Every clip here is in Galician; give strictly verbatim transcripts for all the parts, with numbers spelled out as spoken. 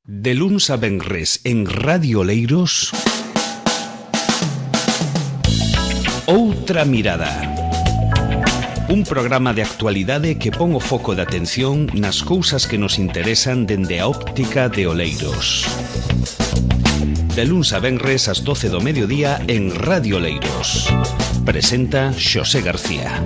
De luns a venres en Radio Oleiros, Outra Mirada. Un programa de actualidade que pon o foco de atención nas cousas que nos interesan dende a óptica de Oleiros. De luns a venres ás doce do mediodía en Radio Oleiros. Presenta Xosé García.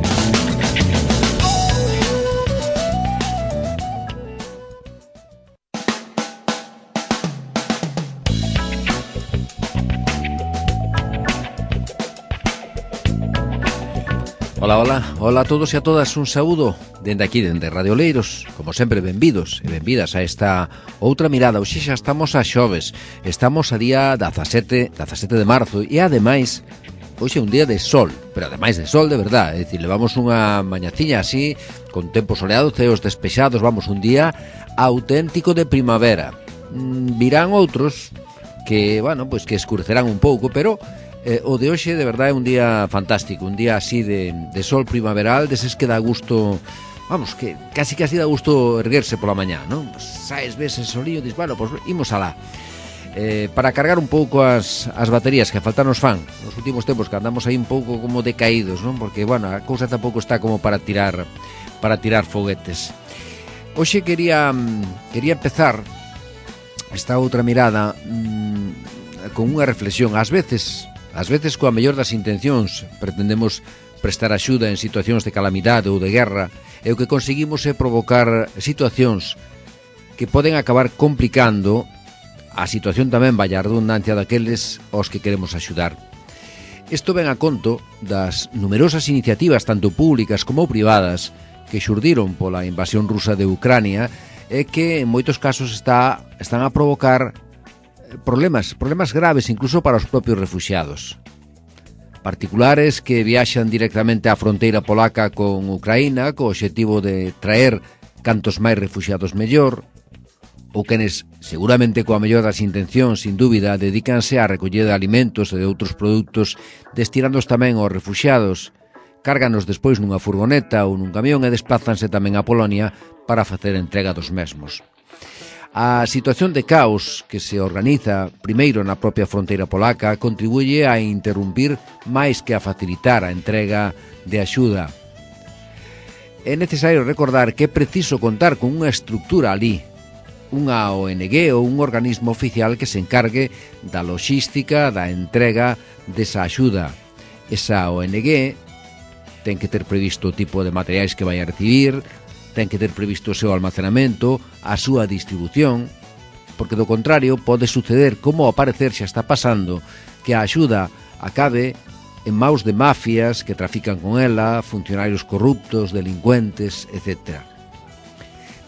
Ola, ola, ola a todos e a todas, un saúdo dende aquí, dende Radio Oleiros. Como sempre, benvidos e benvidas a esta Outra Mirada. Hoxe xa estamos a xoves, estamos a día dezasete de marzo e ademais, hoxe é un día de sol, pero ademais de sol de verdad, é dicir, levamos unha mañaciña así, con tempo soleado, ceos despexados, vamos, un día auténtico de primavera. Mm, virán outros que, bueno, pois que escurecerán un pouco, pero Eh, o de hoxe de verdade é un día fantástico, un día así de, de sol primaveral, deses que dá gusto, vamos, que casi casi dá gusto erguerse pola mañá, non? Pues, saes, ves ese solillo, dis, bueno, pues imos alá. Eh, para cargar un pouco as, as baterías que faltan nos fan nos últimos tempos, que andamos aí un pouco como decaídos, non? Porque, bueno, a cousa tampouco está como para tirar para tirar foguetes. Hoxe quería quería empezar esta outra mirada mmm, con unha reflexión. Ás veces Ás veces, coa mellor das intencións, pretendemos prestar axuda en situacións de calamidade ou de guerra, e o que conseguimos é provocar situacións que poden acabar complicando a situación tamén, vaya redundancia, daqueles aos que queremos axudar. Isto ven a conto das numerosas iniciativas, tanto públicas como privadas, que xurdiron pola invasión rusa de Ucrania e que en moitos casos está, están a provocar problemas, problemas graves incluso para os propios refuxiados. Particulares que viaxan directamente á fronteira polaca con Ucraína co obxectivo de traer cantos máis refuxiados mellor, ou quenes, seguramente coa mellor das intencións, sin dúbida, dedícanse á recollida de alimentos e de outros produtos destinándoos tamén aos refuxiados, cárganos despois nunha furgoneta ou nun camión e desplázanse tamén a Polonia para facer entrega dos mesmos. A situación de caos que se organiza primeiro na propia fronteira polaca contribuye a interrumpir máis que a facilitar a entrega de axuda. É necesario recordar que é preciso contar con unha estructura ali, unha O N G ou un organismo oficial que se encargue da logística da entrega desa axuda. Esa O N G ten que ter previsto o tipo de materiais que vai a recibir, ten que ter previsto o seu almacenamento, a súa distribución, porque do contrario pode suceder, como ao parecer xa está pasando, que a axuda acabe en maus de mafias que trafican con ela, funcionarios corruptos, delincuentes, etcétera.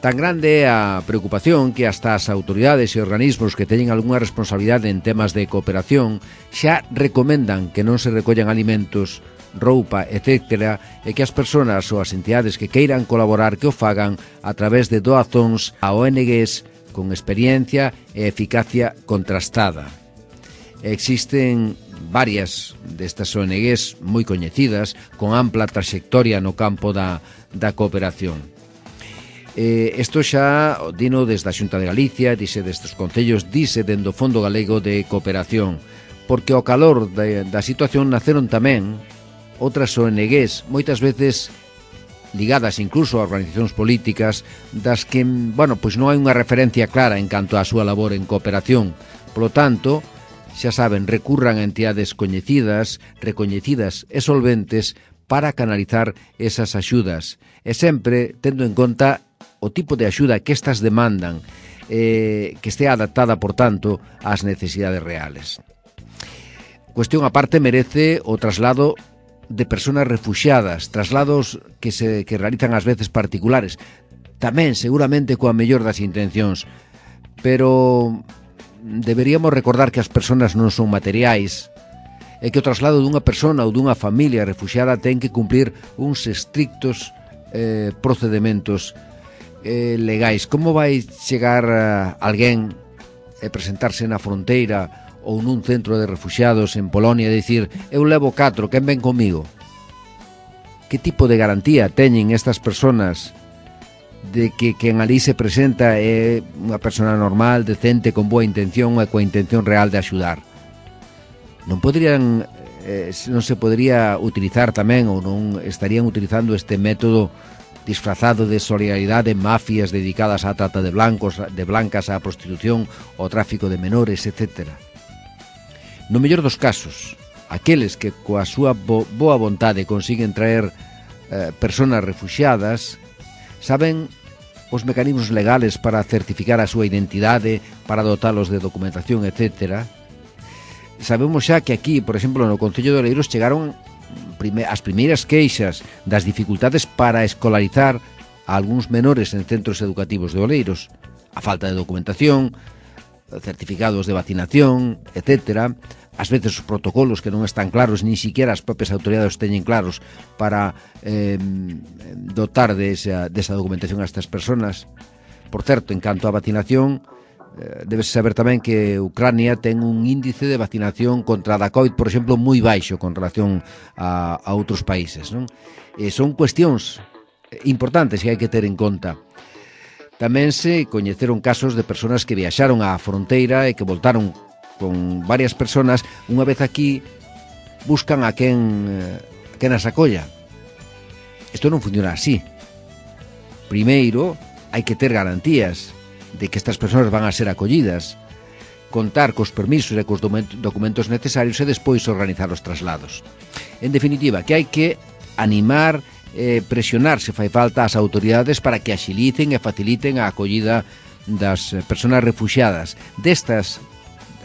Tan grande é a preocupación que hasta as autoridades e organismos que teñen algunha responsabilidade en temas de cooperación xa recomendan que non se recollan alimentos, roupa, etcétera, e que as persoas ou as entidades que queiran colaborar que o fagan a través de doazóns a O N Gs con experiencia e eficacia contrastada. Existen varias destas O N Gs moi coñecidas, con ampla traxectoria no campo da, da cooperación. Eh, isto xa dino desde a Xunta de Galicia, dice destes concellos, dice dende o Fondo Galego de Cooperación, porque ao calor de, da situación naceron tamén outras O N Gs, moitas veces ligadas incluso a organizacións políticas, das que, bueno, pois non hai unha referencia clara en canto á súa labor en cooperación. Polo tanto, xa saben, recurran a entidades coñecidas, recoñecidas e solventes para canalizar esas axudas, e sempre tendo en conta o tipo de axuda que estas demandan, eh, que estea adaptada, por tanto, ás necesidades reales. Cuestión aparte merece o traslado de persoas refuxiadas, traslados que se que realizan ás veces particulares, tamén seguramente coa mellor das intencións, pero deberíamos recordar que as persoas non son materiais e que o traslado dunha persona ou dunha familia refuxiada ten que cumplir uns estrictos eh, procedementos eh, legais. Como vai chegar uh, alguén e presentarse na fronteira ou nun centro de refuxiados en Polonia e dicir, eu levo catro, quen ven comigo? Que tipo de garantía teñen estas persoas de que quen ali se presenta é unha persona normal, decente, con boa intención e coa intención real de axudar. Non poderían eh, non se podería utilizar tamén, ou non estarían utilizando este método disfrazado de solidaridade en mafias dedicadas á trata de blancos, de blancas, á prostitución, ao tráfico de menores, etcétera. No mellor dos casos, aqueles que coa súa bo boa vontade consiguen traer eh, personas refuxiadas saben os mecanismos legales para certificar a súa identidade, para dotalos de documentación, etcétera. Sabemos xa que aquí, por exemplo, no Concello de Oleiros chegaron prime as primeiras queixas das dificultades para escolarizar a algúns menores en centros educativos de Oleiros. A falta de documentación, certificados de vacinación, etcétera. Ás veces os protocolos que non están claros, ni siquiera as propias autoridades teñen claros para eh, dotar de esa, de esa documentación a estas personas. Por certo, en canto á vacinación, eh, debes saber tamén que Ucrania ten un índice de vacinación contra a COVID, por exemplo, moi baixo con relación a, a outros países, non? E son cuestións importantes que hai que ter en conta. Tamén se coñeceron casos de persoas que viaxaron á fronteira e que voltaron con varias personas, unha vez aquí buscan a quen, a quen as acolla. Isto non funciona así. Primeiro, hai que ter garantías de que estas persoas van a ser acollidas, contar cos permisos e cos documentos necesarios e despois organizar os traslados. En definitiva, que hai que animar, eh, presionar se fai falta as autoridades para que axilicen e faciliten a acollida das persoas refuxiadas destas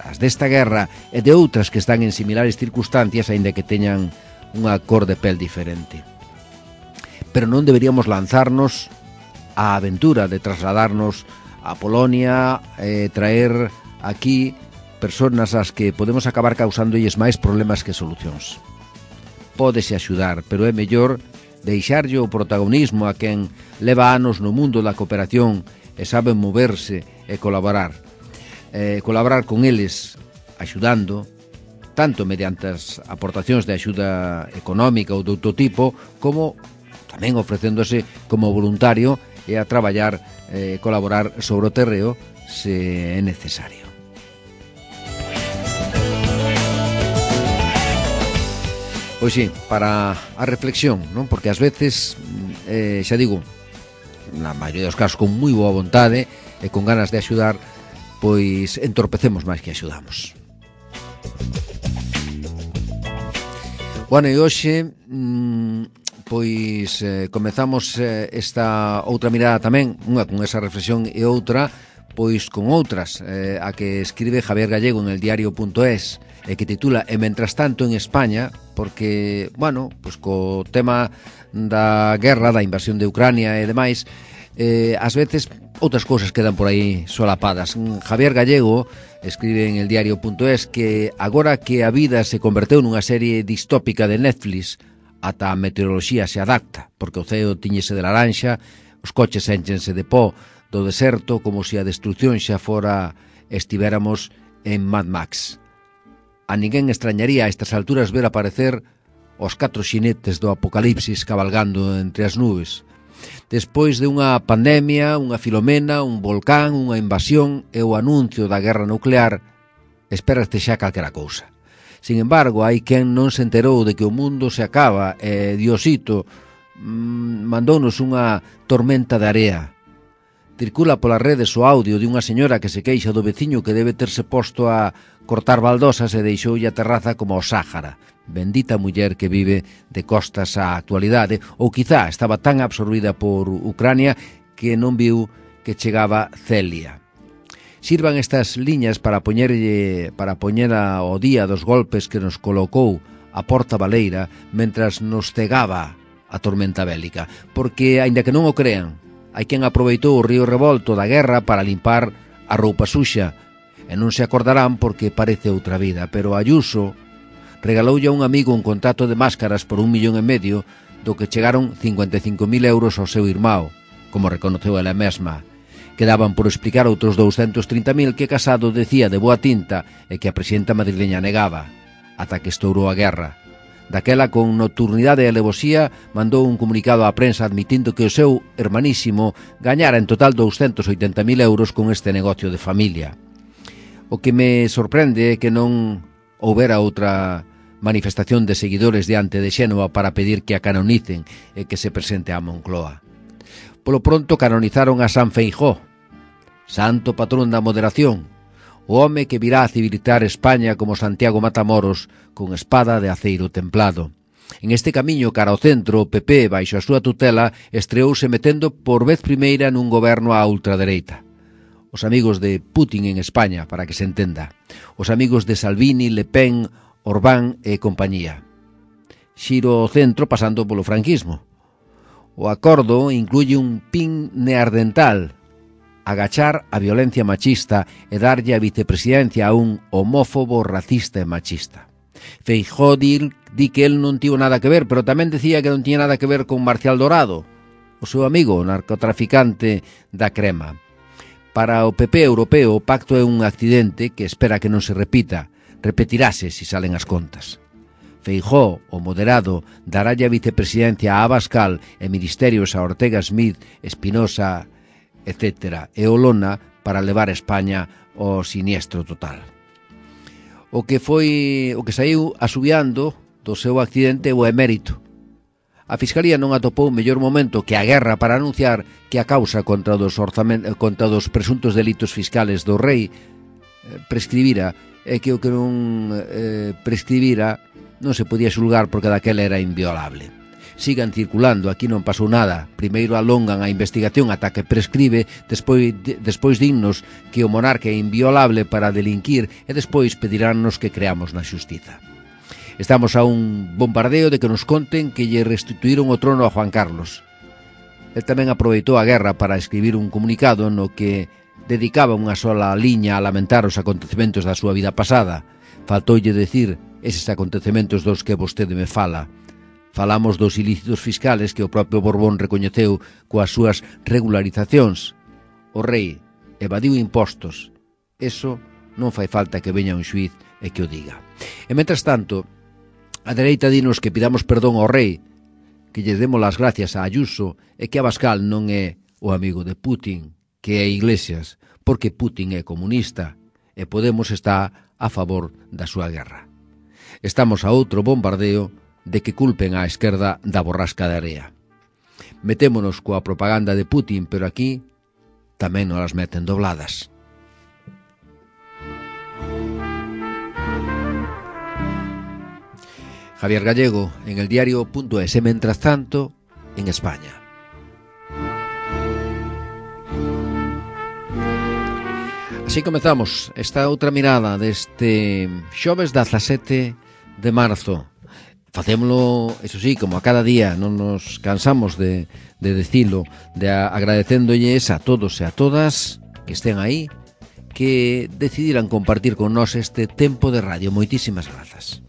as desta guerra e de outras que están en similares circunstancias, aínda que teñan unha cor de pel diferente. Pero non deberíamos lanzarnos á aventura de trasladarnos a Polonia e traer aquí persoas ás que podemos acabar causándolles máis problemas que solucións. Pódese axudar, pero é mellor deixarlle o protagonismo a quen leva anos no mundo da cooperación e sabe moverse e colaborar. Eh, colaborar con eles axudando tanto mediante as aportacións de axuda económica ou de outro tipo, como tamén ofrecéndose como voluntario e a traballar e eh, colaborar sobre o terreo se é necesario. Pois sí, para a reflexión, non? Porque ás veces, eh, xa digo, na maioría dos casos con moi boa vontade e con ganas de axudar, pois entorpecemos máis que axudamos. Bueno, e hoxe pois eh, comezamos eh, esta outra mirada tamén, unha con esa reflexión e outra pois con outras, eh, a que escribe Javier Gallego en el diario punto es, e que titula E mentras tanto en España, porque, bueno, pois co tema da guerra, da invasión de Ucrania e demais, eh, ás veces outras cousas quedan por aí solapadas. Javier Gallego escribe en el diario punto es que agora que a vida se converteu nunha serie distópica de Netflix, ata a meteoroloxía se adapta, porque o ceo tiñese de laranxa, os coches énchense de pó do deserto, como se a destrucción xa fora estivéramos en Mad Max. A ninguén extrañaría a estas alturas ver aparecer os catro xinetes do apocalipsis cabalgando entre as nubes. Despois de unha pandemia, unha Filomena, un volcán, unha invasión e o anuncio da guerra nuclear, espérate xa calquera cousa. Sin embargo, hai quen non se enterou de que o mundo se acaba e Diosito mmm, mandounos unha tormenta de area. Circula polas redes o audio de unha señora que se queixa do veciño que debe terse posto a cortar baldosas e deixoulle a terraza como o Sáhara. Bendita muller que vive de costas á actualidade, ou quizá estaba tan absorbida por Ucrania que non viu que chegaba Celia. Sirvan estas liñas para poñerlle para poñer ao día dos golpes que nos colocou a Porta Baleira mentras nos cegaba a tormenta bélica, porque, aínda que non o crean, hai quen aproveitou o río revolto da guerra para limpar a roupa suxa, e non se acordarán porque parece outra vida, pero Ayuso regaloulle a un amigo un contrato de máscaras por un millón e medio, do que chegaron cincuenta e cinco mil euros ao seu irmão, como reconoceu ela mesma. Quedaban por explicar outros douscentos trinta mil que Casado decía de boa tinta e que a presidenta madrileña negaba, ata que estourou a guerra. Daquela, con nocturnidade e alevosía, mandou un comunicado á prensa admitindo que o seu hermanísimo gañara en total douscentos oitenta mil euros con este negocio de familia. O que me sorprende é que non houbera outra manifestación de seguidores diante de Xénova para pedir que a canonicen e que se presente a Moncloa. Polo pronto canonizaron a San Feijóo, santo patrón da moderación, o home que virá a civilizar España como Santiago Matamoros con espada de aceiro templado. En este camiño cara ao centro, o P P, baixo a súa tutela, estreouse metendo por vez primeira nun goberno á ultradereita. Os amigos de Putin en España, para que se entenda. Os amigos de Salvini, Le Pen, Orbán e compañía. Xiro ao centro pasando polo franquismo. O acordo incluye un pin neardental, agachar a violencia machista e darlle a vicepresidencia a un homófobo, racista e machista. Feijóo di, di que el non tivo nada que ver, pero tamén decía que non tiña nada que ver con Marcial Dorado, o seu amigo, o narcotraficante da crema. Para o P P europeo, o pacto é un accidente que espera que non se repita, repetirase se salen as contas. Feijóo, o moderado, darálle a vicepresidencia a Abascal e ministerios a Ortega Smith, Espinosa, etcétera, e Olona para levar a España ao siniestro total. O que foi, o que saiu asubiando do seu accidente o emérito. A Fiscalía non atopou mellor momento que a guerra para anunciar que a causa contra dos orzamentos, contra dos presuntos delitos fiscales do rei prescribira e que o que non eh, prescribira non se podía xulgar porque daquela era inviolable. Sigan circulando, aquí non pasou nada. Primeiro alongan a investigación ata que prescribe, despois, de, despois dignos que o monarca é inviolable para delinquir e despois pediránnos que creamos na xustiza. Estamos a un bombardeo de que nos conten que lle restituíron o trono a Juan Carlos. El tamén aproveitou a guerra para escribir un comunicado no que dedicaba unha sola liña a lamentar os acontecementos da súa vida pasada. Faltoulle decir eses acontecementos dos que vostede me fala. Falamos dos ilícitos fiscales que o propio Borbón recoñeceu coas súas regularizacións. O rei evadiu impostos. Eso non fai falta que veña un xuiz e que o diga. E, mentras tanto, a dereita dinos que pidamos perdón ao rei, que lle demos as gracias a Ayuso e que Abascal non é o amigo de Putin, que é Iglesias, porque Putin é comunista e Podemos está a favor da súa guerra. Estamos a outro bombardeo de que culpen á esquerda da borrasca de area. Metémonos coa propaganda de Putin, pero aquí tamén nos las meten dobladas. Javier Gallego, en el diario punto es, mientras tanto, en España. Así comezamos esta outra mirada deste xoves dezasete de marzo. Facémolo, eso sí, como a cada día, non nos cansamos de, de decilo, de agradecéndolles a todos e a todas que estén aí, que decidiran compartir con nós este tempo de radio. Moitísimas grazas.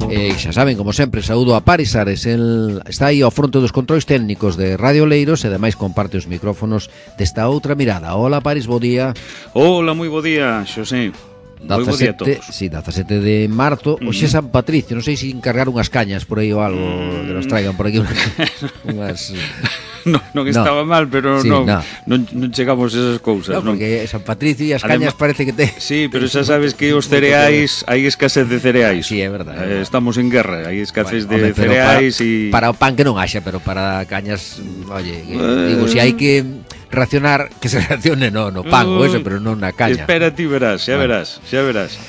E xa saben, como sempre, saúdo a Paris Ares, el está aí ao fronte dos controis técnicos de Radio Leiros e ademais comparte os micrófonos desta outra mirada. Hola Paris, bo día. Hola, moi bo día, Xosé. Moi bo día a todos. Sí, dezasete de marzo, mm. Oxe San Patricio, non sei se encargar unhas cañas por aí ou algo, mm. que nos traigan por aquí unhas... non, non estaba no. mal, pero sí, non, no. non, non chegamos a esas cousas. No, porque San Patricio e as cañas Además, parece que te... Sí, pero xa sabes que os cereais, hai escasez de cereais. Sí, é verdade. Eh, estamos en guerra, hai escasez bueno, de hombre, cereais e... Para, para o pan que non haxa, pero para cañas, oye, eh, digo, se si hai que racionar, que se racione no, no pan uh, ou eso, pero non na caña. Espera ti verás, xa bueno. verás, xa verás.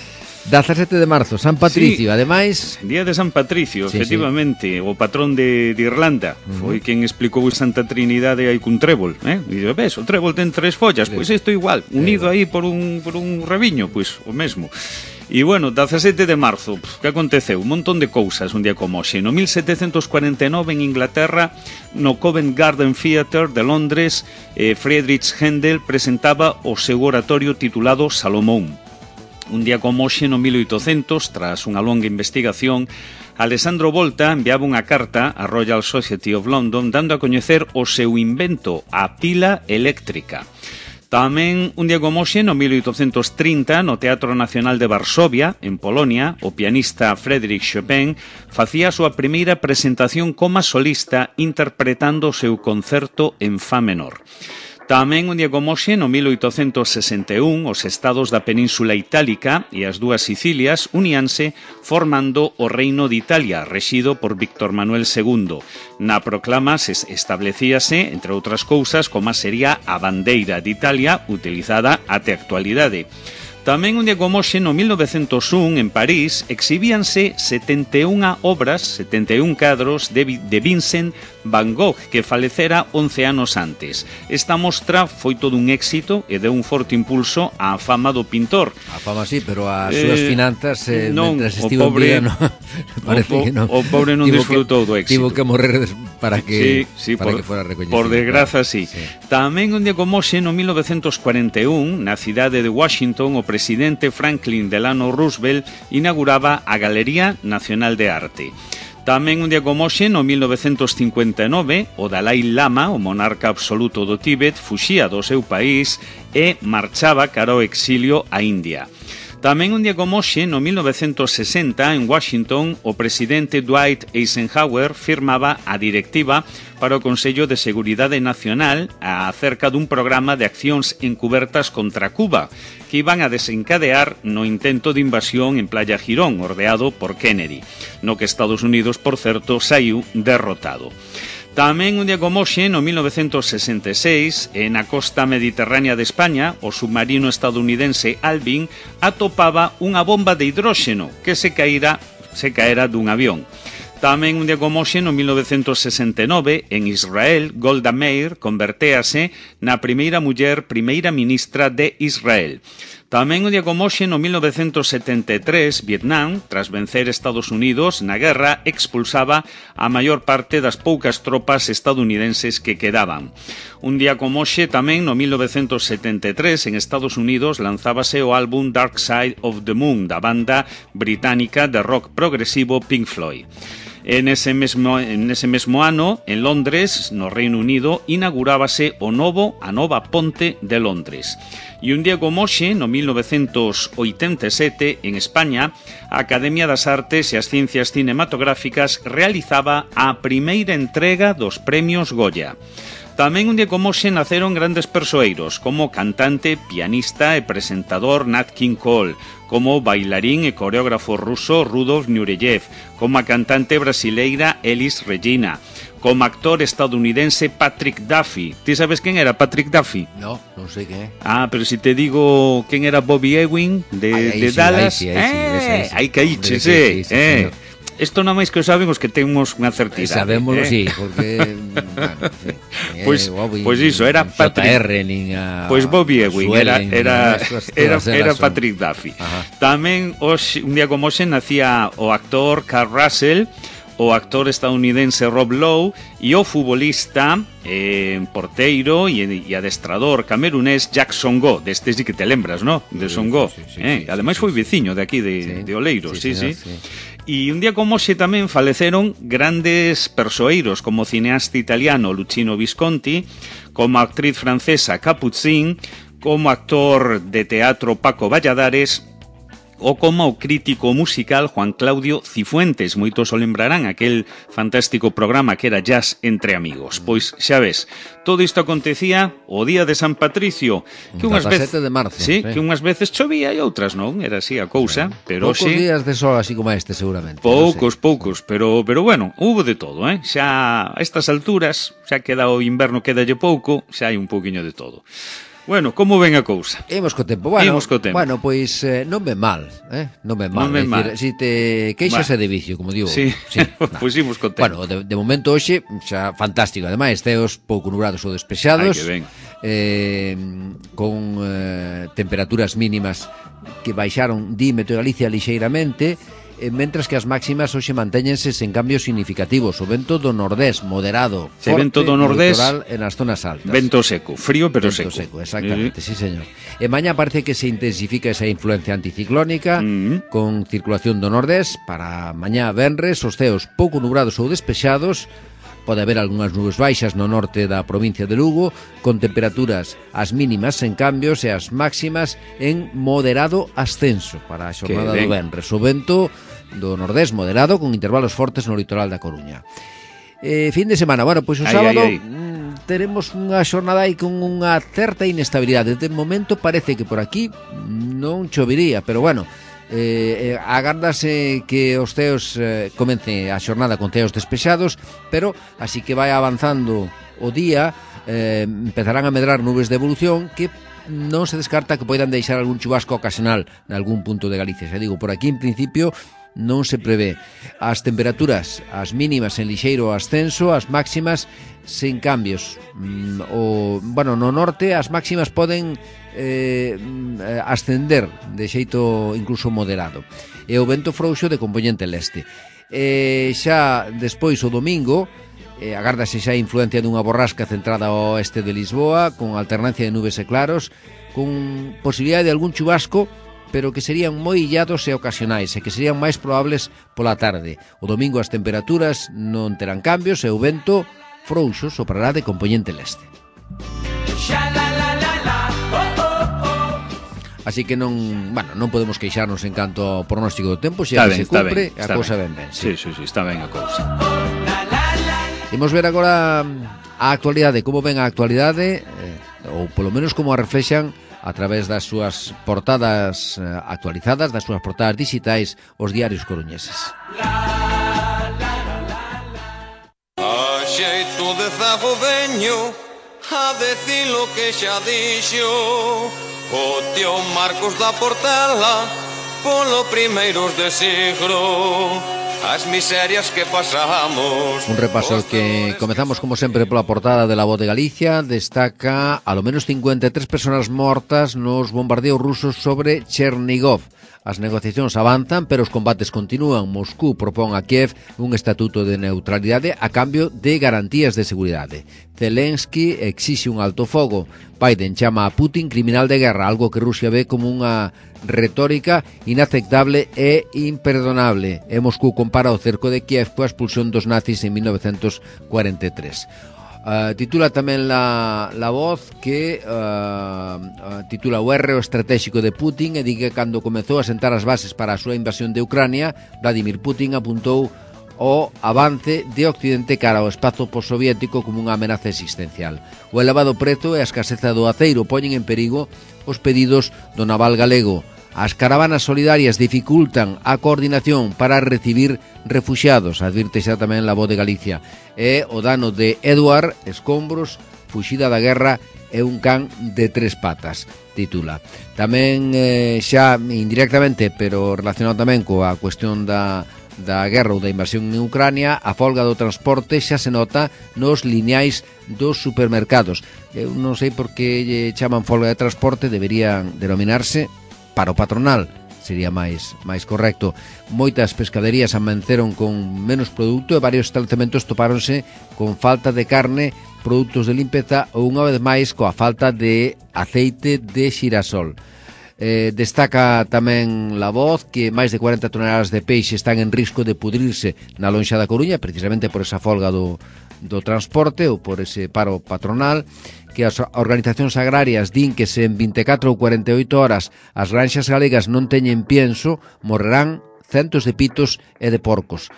dezasete de marzo, San Patricio, sí, ademais... Día de San Patricio, sí, efectivamente, sí. O patrón de, de Irlanda. Uh-huh. Foi quen explicou Santa Trinidade aí cun trébol, eh? E dice, ves, o trébol ten tres follas, pois pues isto igual, unido aí por un, por un rabiño, pois pues, o mesmo. E bueno, dezasete de marzo, que aconteceu? Un montón de cousas un día como hoxe. No mil setecentos cuarenta e nove en Inglaterra, no Covent Garden Theatre de Londres, eh, Friedrich Händel presentaba o seu oratorio titulado Salomón. Un día como hoxe, no mil oitocentos, tras unha longa investigación, Alessandro Volta enviaba unha carta á Royal Society of London dando a coñecer o seu invento, a pila eléctrica. Tamén un día como hoxe, no mil oitocentos trinta, no Teatro Nacional de Varsovia, en Polonia, o pianista Frédéric Chopin facía a súa primeira presentación como solista interpretando o seu concerto en fa menor. Tamén un día como hoxe, no mil oitocentos sesenta e un, os estados da Península Itálica e as dúas Sicilias uníanse formando o Reino de Italia, rexido por Víctor Manuel segundo. Na proclama se establecíase, entre outras cousas, como sería a bandeira de Italia utilizada até a actualidade. Tamén un día como hoxe, no mil novecentos un, en París, exhibíanse setenta e unha obras, setenta e un cadros de, de Vincent Van Gogh, que falecera once anos antes. Esta mostra foi todo un éxito e deu un forte impulso á fama do pintor. A fama sí, pero as súas eh, finanzas, eh, non, mentras estivo pobre, en vida, no, parece o, que non. O pobre non disfrutou do éxito. Tivo que morrer para que, sí, sí, para por, que fuera recoñecido. Por desgraza, sí. sí. Tamén un día como hoxe, no mil novecentos cuarenta e un, na cidade de Washington, o presidente Franklin Delano Roosevelt inauguraba a Galería Nacional de Arte. Tamén un día como hoxe, no mil novecentos cincuenta e nove, o Dalai Lama, o monarca absoluto do Tíbet, fuxía do seu país e marchaba cara ao exilio a India. Tamén un día como hoxe, no mil novecentos sesenta, en Washington, o presidente Dwight Eisenhower firmaba a directiva para o Consello de Seguridade Nacional acerca dun programa de accións encubertas contra Cuba, que iban a desencadear no intento de invasión en Playa Girón, ordeado por Kennedy, no que Estados Unidos, por certo, saiu derrotado. Tamén un día como hoxe, no mil novecentos sesenta e seis, na costa mediterránea de España, o submarino estadounidense Alvin atopaba unha bomba de hidróxeno que se caíra, se caera dun avión. Tamén un día como hoxe, no mil novecentos sesenta e nove, en Israel, Golda Meir convertéase na primeira muller primeira ministra de Israel. Tamén un día como hoxe, no mil novecentos setenta e tres, Vietnam, tras vencer Estados Unidos na guerra, expulsaba a maior parte das poucas tropas estadounidenses que quedaban. Un día como hoxe, tamén no mil novecentos setenta e tres, en Estados Unidos, lanzábase o álbum Dark Side of the Moon, da banda británica de rock progresivo Pink Floyd. En ese mesmo, en ese mesmo ano, en Londres, no Reino Unido, inaugurábase o novo, a nova ponte de Londres. E un día como hoxe, no mil novecentos oitenta e sete, en España, a Academia das Artes e as Ciencias Cinematográficas realizaba a primeira entrega dos premios Goya. Tamén un día como hoxe naceron grandes persoeiros, como cantante, pianista e presentador Nat King Cole, como bailarín e coreógrafo ruso Rudolf Nureyev, como a cantante brasileira Elis Regina, como actor estadounidense Patrick Duffy. ¿Ti sabes quen era Patrick Duffy? No, non sei quen é. Ah, pero si te digo quen era Bobby Ewing de, ay, de sí, Dallas, ahí sí, ahí sí, eh, sí, aí caíches, eh, sí, sí, eh. Isto non máis que o saben os que temos unha certidade. Sabémoslo, eh? sí, porque bueno, sí. Pois pues, pues iso, era Patrick J R, nin a Pois pues Bobby Ewing era era era, era Patrick Duffy. Ajá. Tamén hoxe, un día como hoxe nacía o actor Carl Russell, o actor estadounidense Rob Lowe e o futbolista, eh, porteiro e, e adestrador camerunés Jack Songo. Deste sí que te lembras, ¿no? De Songo. Sí, sí, sí, eh? sí, Ademais sí, foi veciño de aquí de, sí, de Oleiros, sí, sí. sí. sí. E un día como hoxe tamén faleceron grandes persoeiros como o cineasta italiano Luchino Visconti, como a actriz francesa Capucine, como actor de teatro Paco Valladares ou como o crítico musical Juan Claudio Cifuentes. Moitos o lembrarán aquel fantástico programa que era Jazz entre amigos. Pois xa ves, todo isto acontecía o día de San Patricio, que unhas veces de marzo, sí, sí, que unhas veces chovía e outras non, era así a cousa, sí. Pero poucos sí, días de sol así como este seguramente. Poucos, no sé. poucos, pero pero bueno, hubo de todo, eh? Xa a estas alturas, xa queda o inverno, quedalle pouco, xa hai un pouquiño de todo. Bueno, como ven a cousa? Imos co tempo. Bueno, Imos co tempo. Bueno, pois eh, non ven mal, eh? Non ven mal. Non ven mal. Si te queixase de vicio, como digo. Sí, sí. Pois imos co tempo. Bueno, de, de momento hoxe xa fantástico. Ademais, teos pouco nubrados ou despexados. Ai, que ben. Eh, con eh, temperaturas mínimas que baixaron dímetro e Galicia lixeiramente, eh, mentras que as máximas hoxe mantéñense sen cambios significativos. O vento do nordés moderado, Se forte, vento do nordés, en as zonas altas. Vento seco, frío pero vento seco. seco, exactamente, Mm. sí señor. E mañá parece que se intensifica esa influencia anticiclónica, Mm. con circulación do nordés. Para mañá venres, os ceos pouco nubrados ou despexados, pode haber algunhas nubes baixas no norte da provincia de Lugo, con temperaturas as mínimas en cambios e as máximas en moderado ascenso para a xornada do venres. O vento do nordés moderado con intervalos fortes no litoral da Coruña. Eh, fin de semana, bueno, pois o sábado ai, ai, ai. teremos unha xornada aí con unha certa inestabilidade. De momento parece que por aquí non chovería, pero bueno, Eh, eh, agardase que os ceos eh, comece a xornada con ceos despexados, pero así que vai avanzando o día, eh, empezarán a medrar nubes de evolución que non se descarta que poidan deixar algún chubasco ocasional en algún punto de Galicia. Xa digo, por aquí en principio non se prevé. As temperaturas, as mínimas en lixeiro ascenso, as máximas sen cambios. Mm, o, bueno, no norte as máximas poden eh, ascender de xeito incluso moderado. E o vento frouxo de compoñente leste. E xa despois o domingo eh, agárdase xa a influencia dunha borrasca centrada ao oeste de Lisboa, con alternancia de nubes e claros, con posibilidade de algún chubasco, pero que serían moi illados e ocasionais e que serían máis probables pola tarde. O domingo as temperaturas non terán cambios e o vento frouxo soprará de compoñente leste. Así que non, bueno, non podemos queixarnos en canto ao pronóstico do tempo, xa que se cumpre, a cousa ben ben. Sí, sí, sí, está ben a cousa. Imos ver agora a actualidade, como ven a actualidade, eh, ou polo menos como a reflexan a través das súas portadas eh, actualizadas, das súas portadas digitais, os diarios coruñeses. A xeito de zago veño a decir lo que xa dixo o tío Marcos da Portela polo primeiros de siglo. As miserias que pasamos. Un repaso que comezamos como sempre pola portada de La Voz de Galicia. Destaca a lo menos cincuenta e tres persoas mortas nos bombardeos rusos sobre Chernigov. As negociacións avanzan, pero os combates continúan. Moscú propón a Kiev un estatuto de neutralidade a cambio de garantías de seguridade. Zelensky exixe un alto fogo. Biden chama a Putin criminal de guerra, algo que Rusia ve como unha retórica inaceptable e imperdonable. E Moscú compara o cerco de Kiev coa expulsión dos nazis en mil novecientos cuarenta e tres. Uh, titula tamén la, la Voz que uh, uh, titula o erro estratégico de Putin e di que cando comezou a sentar as bases para a súa invasión de Ucrania, Vladimir Putin apuntou o avance de Occidente cara ao espazo postsoviético como unha amenaza existencial. O elevado prezo e a escaseza do aceiro poñen en perigo os pedidos do naval galego. As caravanas solidarias dificultan a coordinación para recibir refuxiados, advirte xa tamén La Voz de Galicia. E o dano de Eduard Escombros, fuxida da guerra, é un can de tres patas, titula. Tamén eh, xa indirectamente, pero relacionado tamén coa cuestión da da guerra ou da invasión en Ucrania, a folga do transporte xa se nota nos lineais dos supermercados. Eu non sei por que lle chaman folga de transporte, deberían denominarse paro patronal, sería máis máis correcto. Moitas pescaderías amaneceron con menos produto e varios establecementos topáronse con falta de carne, produtos de limpeza ou unha vez máis coa falta de aceite de xirasol. Eh, destaca tamén La Voz que máis de cuarenta toneladas de peixe están en risco de pudrirse na lonxa da Coruña, precisamente por esa folga do, do transporte ou por ese paro patronal, que as organizacións agrarias din que se en vinte e catro ou cuarenta e oito horas as granxas galegas non teñen pienso, morrerán centos de pitos e de porcos.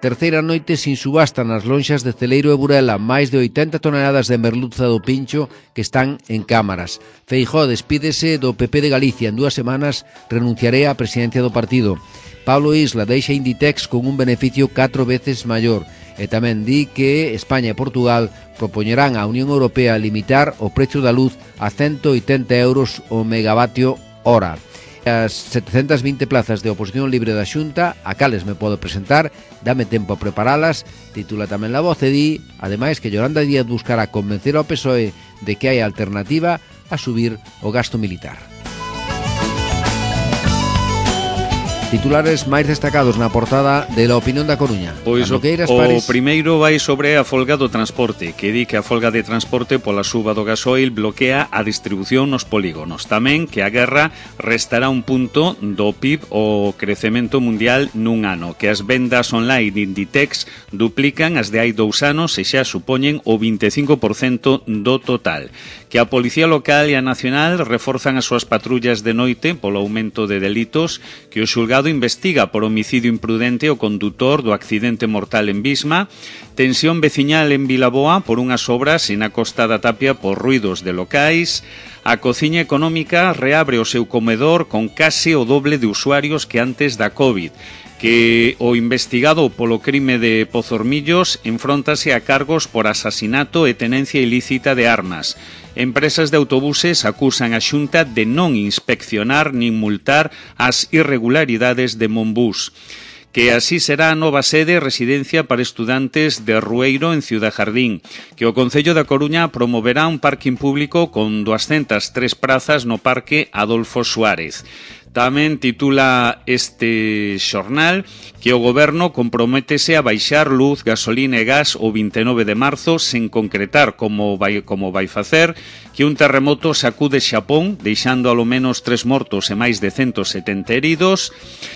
Terceira noite sin subasta nas lonxas de Celeiro e Burela, máis de oitenta toneladas de merluza do pincho que están en cámaras. Feijóo despídese do P P de Galicia, en dúas semanas renunciaré á presidencia do partido. Pablo Isla deixa Inditex con un beneficio catro veces maior e tamén di que España e Portugal propoñerán á Unión Europea limitar o prezo da luz a ciento oitenta euros o megavatio hora. As setecentas vinte plazas de oposición libre da Xunta, a cales me podo presentar, dame tempo a preparalas, titula tamén La Voz e di, ademais, que Yolanda Díaz buscará convencer ao P S O E de que hai alternativa a subir o gasto militar. Titulares máis destacados na portada de La Opinión da Coruña. Pois o, o primeiro vai sobre a folga do transporte, que di que a folga de transporte pola suba do gasoil bloquea a distribución nos polígonos. Tamén que a guerra restará un punto do P I B o crecemento mundial nun ano, que as vendas online de Inditex duplican as de hai dous anos e xa supoñen o vinte e cinco por cento do total. Que a Policía Local e a Nacional reforzan as súas patrullas de noite polo aumento de delitos, que o xulgado investiga por homicidio imprudente o condutor do accidente mortal en Bisma, tensión veciñal en Vilaboa por unhas obras na Costa da Tapia por ruidos de locais, a Cociña Económica reabre o seu comedor con case o doble de usuarios que antes da COVID, que o investigado polo crime de Pozormillos enfróntase a cargos por asasinato e tenencia ilícita de armas. Empresas de autobuses acusan a Xunta de non inspeccionar nin multar as irregularidades de Monbús. Que así será a nova sede e residencia para estudantes de Rueiro en Ciudad Jardín, que o Concello da Coruña promoverá un parking público con doscientas tres prazas no Parque Adolfo Suárez. Tamén titula este xornal que o Goberno comprométese a baixar luz, gasolina e gas o vinte e nove de marzo sen concretar como vai, como vai facer, que un terremoto sacude Xapón, deixando alo menos tres mortos e máis de ciento setenta heridos,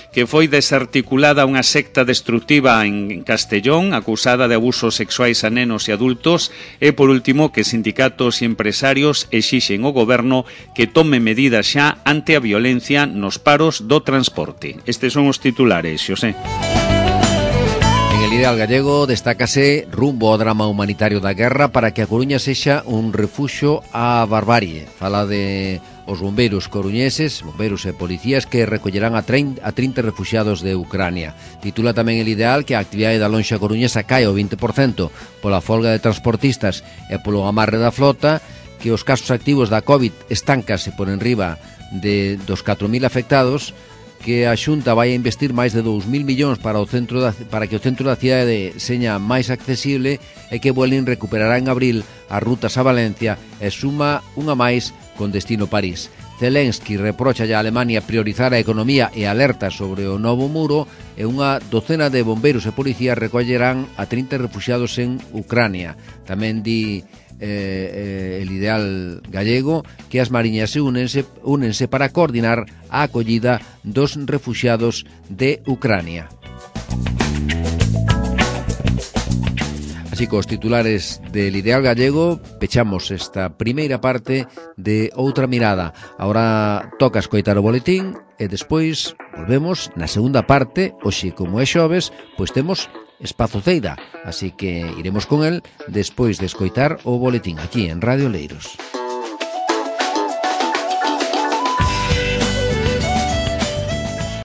que foi desarticulada unha secta destructiva en Castellón, acusada de abusos sexuais a nenos e adultos, e por último que sindicatos e empresarios exixen ao Goberno que tome medidas xa ante a violencia nos paros do transporte. Estes son os titulares, Xosé. En el Ideal Gallego destácase rumbo ao drama humanitario da guerra para que a Coruña sexa un refuxo á barbarie. Fala de os bombeiros coruñeses, bombeiros e policías que recollerán a trinta refuxiados de Ucrania. Titula tamén el Ideal que a actividade da lonxa coruñesa cae ao vinte por cento pola folga de transportistas e polo amarre da flota, que os casos activos da COVID estancase por enriba de dos catro mil afectados, que a Xunta vai a investir máis de dous mil millóns para o centro da, para que o centro da cidade seña máis accesible e que Vueling recuperará en abril as rutas a Valencia e suma unha máis con destino París. Zelensky reprocha a Alemania priorizar a economía e alerta sobre o novo muro e unha docena de bombeiros e policías recollerán a trinta refuxiados en Ucrania. Tamén di Eh, eh, el Ideal Gallego que as mariñas se únense, únense para coordinar a acollida dos refuxiados de Ucrania. Así cos titulares del Ideal Gallego pechamos esta primeira parte de Outra Mirada. Ahora toca escoitar o boletín e despois volvemos na segunda parte. Hoxe, como é xoves, pois temos Espazo Ceida, así que iremos con el despois de escoitar o boletín aquí en Radio Leiros.